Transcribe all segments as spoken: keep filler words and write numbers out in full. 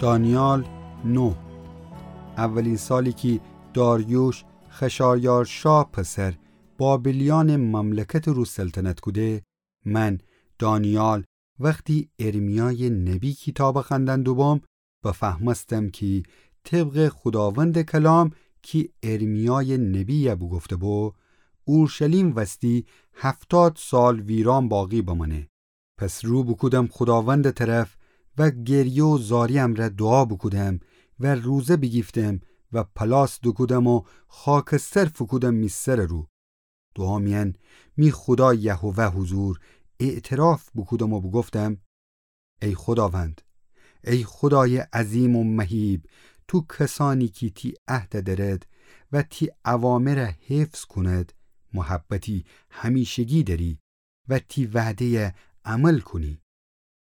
دانیال نه. اولین سالی کی داریوش خشایارشا پسر بابلیأنٚ مملکتٚ رو سلطنت کوده، من دانیال وختی ارمیایٚ نبی کیتابَ خوأندن دوبوم، بفهمستم کی طبقٚ خوداوندٚ کلام کی ارمیایٚ نبی بوگفته‌بو، اورشلیم وستی هفتاد سال ویران باقی بمانه. پس رو بوکودم خوداوندٚ طرف و گریه و زاری امرأ دوعا بوکودم و روزه بیگیفتم و پلاس دوکودم و خاکستر فوکودم می سرٚ رو. دوعا میأن می خودا یهوه حضور اعتراف بوکودم و بوگفتم: ای خوداوند، ای خودایٚ عظیم و مهیب، تو کسأنی کی تی عهدَ درد و تی اوامرَ حفظ کند، محبتی همیشگی دأری و تی وعده‌یَ عمل کونی.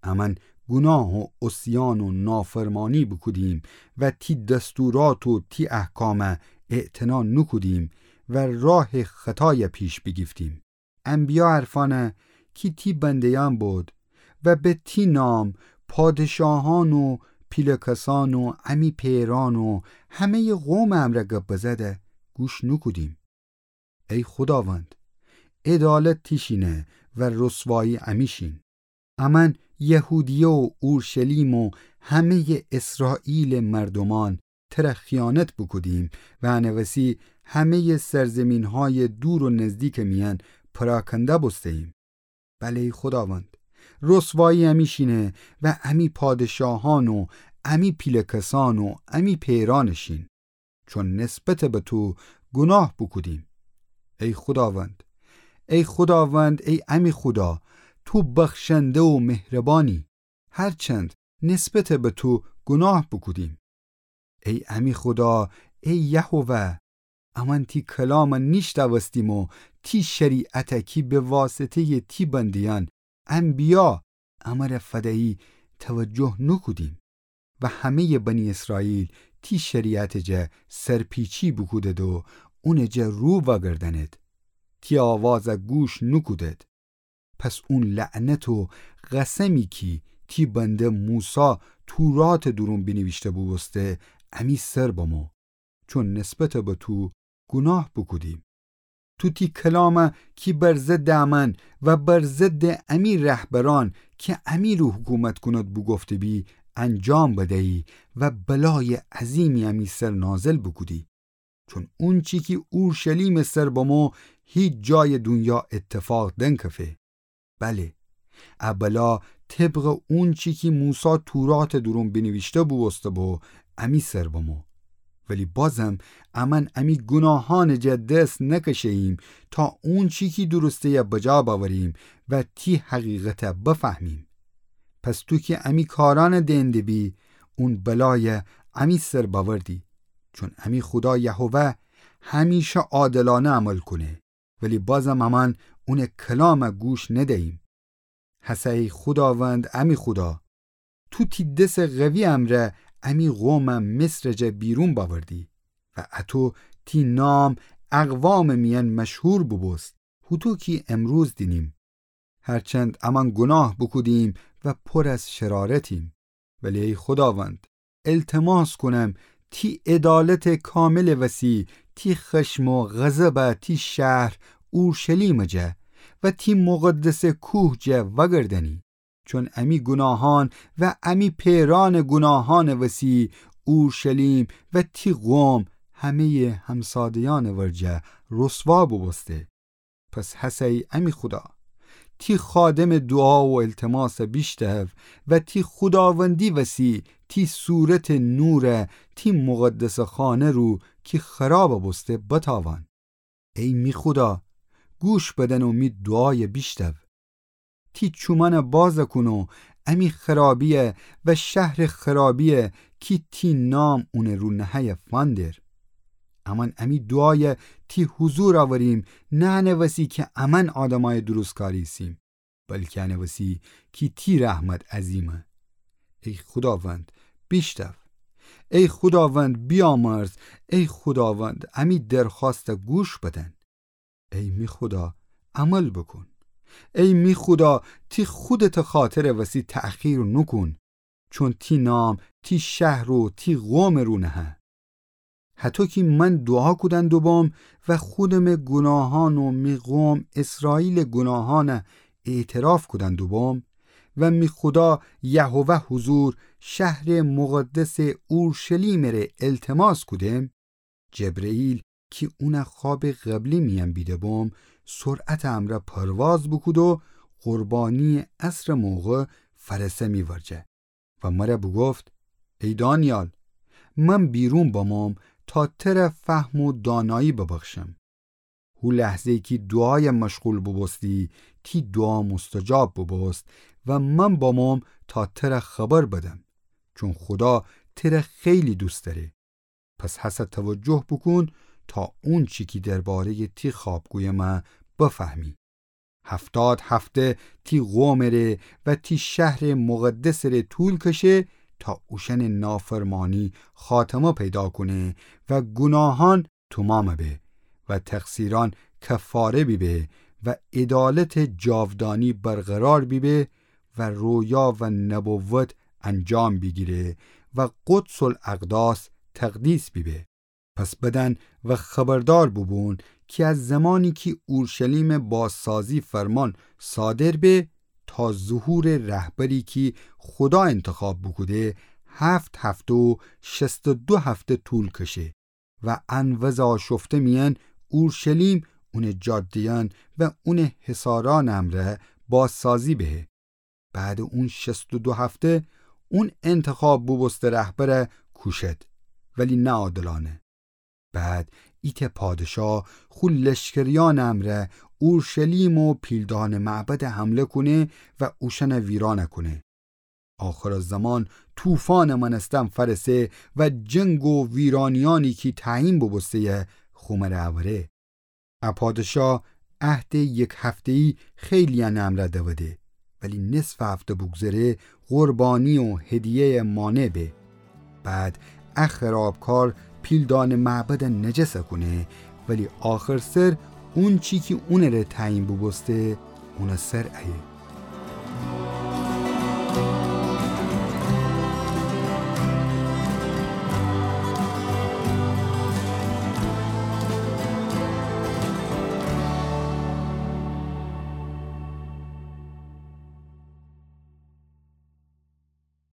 امأن گوناه و عصیان و نافرمانی بوکودیم و تی دستورات و تی احکامَ اعتنا نوکودیم و راهٚ خطایَ پیش بیگیفتیم. انبیا حرفأنَ کی تی بنده‌یأن بود و به تی نام پادشاهأن و پیله کسأن و امی پئرأن و همه‌یٚ قومٚ امرأ گب بزده گوش نوکودیم. ای خوداوند، عدالت تیشینه و رسوایی امیشین. امأن یهودیه و اورشلیم و همه‌یٚ اسرائیلٚ مردومأن تره خیانت بوکودیم و انه وسی همه‌یٚ سرزیمین‌هایٚ دور و نزدیکٚ میأن پراکنده بوسته‌ییم. بله ای خوداوند، رسوایی امیشینه و امی پادشاهأن و امی پیله کسأن و امی پئرأنٚ شین، چون نسبت به تو گوناه بوکودیم. ای خوداوند، ای خوداوند، ای امی خودا، تو بخشنده و مهربانی، هرچند نسبت به تو گوناه بوکودیم. ای امی خودا، ای یهوه، امأن تی کلامَ نیشتأوستیم و تی شریعتَ کی به واسطه‌یٚ تی بنده‌یأن انبیا امره فدیی توجه نوکودیم و همه‌یٚ بنی اسرائیل تی شریعتٚ جا سرپیچی بوکودد و اونٚ جا رو وأگردأنید. تی آوازَ گوش نوکودید. پس اون لعنت و قسمی کی تی بنده موسی توراتٚ دورون بینیویشته بوبوسته، امی سر بمو، چون نسبت به تو گوناه بوکودیم. تو تی کلامَ کی بر ضدٚ امأن و بر ضدٚ امی رهبرأن کی امی رو حکومت کونید بوگفته‌بی، انجام بدیی و بلایٚ عظیمی امی سر نازل بوکودی. چون اونچی کی اورشلیمٚ سر بمو، هیچ جایٚ دونیا اتفاق دنکفه. بله، ا بلا طبقٚ اونچی کی موسی توراتٚ دورون بینیویشته بوبوسته‌بو، امی سر بمو. ولی بازم امأن امی گوناهأنٚ جا دس نکشه‌ییم تا اونچی کی درسته‌یَ بجا بأوریم و تی حقیقتَ بفهمیم. پس تو کی امی کارأنَ دئن دبی، اون بلایَ امی سر بأوردی. چون امی خودا یهوه همیشه عادلأنه عمل کونه، ولی بازم امأن اونٚ کلامَ گوش ندییم. هسه ای خوداوند، امی خودا، تو تی دسٚ قوی امرأ امی قومَ مصرٚ جا بیرون بأوردی و اطو تی نام اقوامٚ میأن مشهور بوبوست، هوطو کی امروز دینیم. هرچند امأن گوناه بوکودیم و پر از شرارتیم. ولی ای خوداوند، التماس کونم تی عدالتٚ کاملٚ وسی تی خشم و غضبَ تی شهر اورشلیمٚ جا و تی مقدسٚ کوه جا وأگردأنی. چون امی گوناهأن و امی پئرأنٚ گوناهأنٚ وسی اورشلیم و تی قوم همه‌یٚ همساده‌یأنٚ ورجه رسوا بوبوسته. پس هسه ای امی خودا، تی خادمٚ دوعا و التماسَ بیشتو و تی خوداوندی وسی تی صورتٚ نورَ تی مقدسٚ خانه رو کی خرابَ بوسته بتاوان. ای می خودا، گوش بدن و می دوعایَ بیشتو. تی چومأنَ بازَ کون و امی خرابیَ و شهرٚ خرابیَ کی تی نام اونٚ رو نهه‌یَ فندر. امأن امی دوعایَ تی حضور آوریم، نه انه وسی کی امأن آدمأیٚ درستکار ایسیم، بلکی انه وسی کی تی رحمت عظیمه. ای خوداوند، بیشتو. ای خوداوند، بیامرز. ای خوداوند، امی درخوأستَ گوش بدن. ای می خودا، عمل بوکون. ای می خودا، تی خودتٚ خاطرٚ وسی تأخیر نوکون، چون تی نام تی شهر و تی قومٚ رو نهه. هطو کی من دوعا کودن دوبوم و خودمٚ گوناهان و می قوم اسرائیلٚ گوناهان اعتراف کودن دوبوم و می خودا یهوه حضور شهرٚ مقدسٚ اورشلیمٚ ره التماس کودم، جبرئیل کی اون خوابٚ قبلی میأن بیده‌بوم، سرعتٚ امرأ پرواز بوکود و قربانی‌یٚ عصرٚ موقع فرسه می ورجه و مر بوگفت: ای دانیال، من بیرون بموم تا تر فهم و دانایی ببخشم. هو لحظه‌یی کی دوعایَ مشغول بوبوستی، تی دوعا مستجاب بوبوست و من بموم تا تر خبر بدم، چون خودا تر خیلی دوست دأره. پس هسه توجه بوکون تا اونچی کی درباره‌یٚ تی خواب گویم بفهمی. هفتاد هفته تی قومٚ ره و تی شهرٚ مقدسٚ ره طول کشه تا اوشأنٚ نافرمانی خاتمه پیدا کونه و گوناهان تومامه به و تقصیرأن کفاره بیبه و عدالتٚ جاودانی برقرار بیبه و رویا و نبوت انجام بیگیره و قدس الاقداس تقدیس بیبه. پس بدأن و خبردار بوبون کی از زمانی کی اورشلیمٚ بازسازی فرمان صادر به تا ظهورٚ رهبری کی خودا انتخاب بوکوده، هفت هفته و شصت و دو هفته طول کشه و ان وضع آشفته میأن اورشلیم، اونٚ جاده‌یأن و اونٚ حصارأنٚ امرأ بازسازی بهه. بعدٚ اون شصت و دو هفته اون انتخاب بوبوسته رهبر کوشد، ولی نه عادلأنه. بعد ایتأ پادشا خو لشکریأنٚ امرأ اورشلیم و پیلدانٚ معبد حمله کونه و اوشأن ویران کونه. آخرٚ زمان طوفانٚ مأنستن فأرسه و جنگ و ویرانیأنی کی تعیین بوبوسته‌یه خو مره اوره. ا پادشا عهدٚ یک هفته‌یی خیلی‌یأنٚ امرأ دوده، ولی نصفٚ هفته بوگذره قربانی و هدیه‌یٚ مانع به. بعد ا خرابکار پیلدانٚ معبد نجس کونه، ولی آخر سر اونچی کی اونٚ ره تعیین بوبوسته اونٚ سر ایه.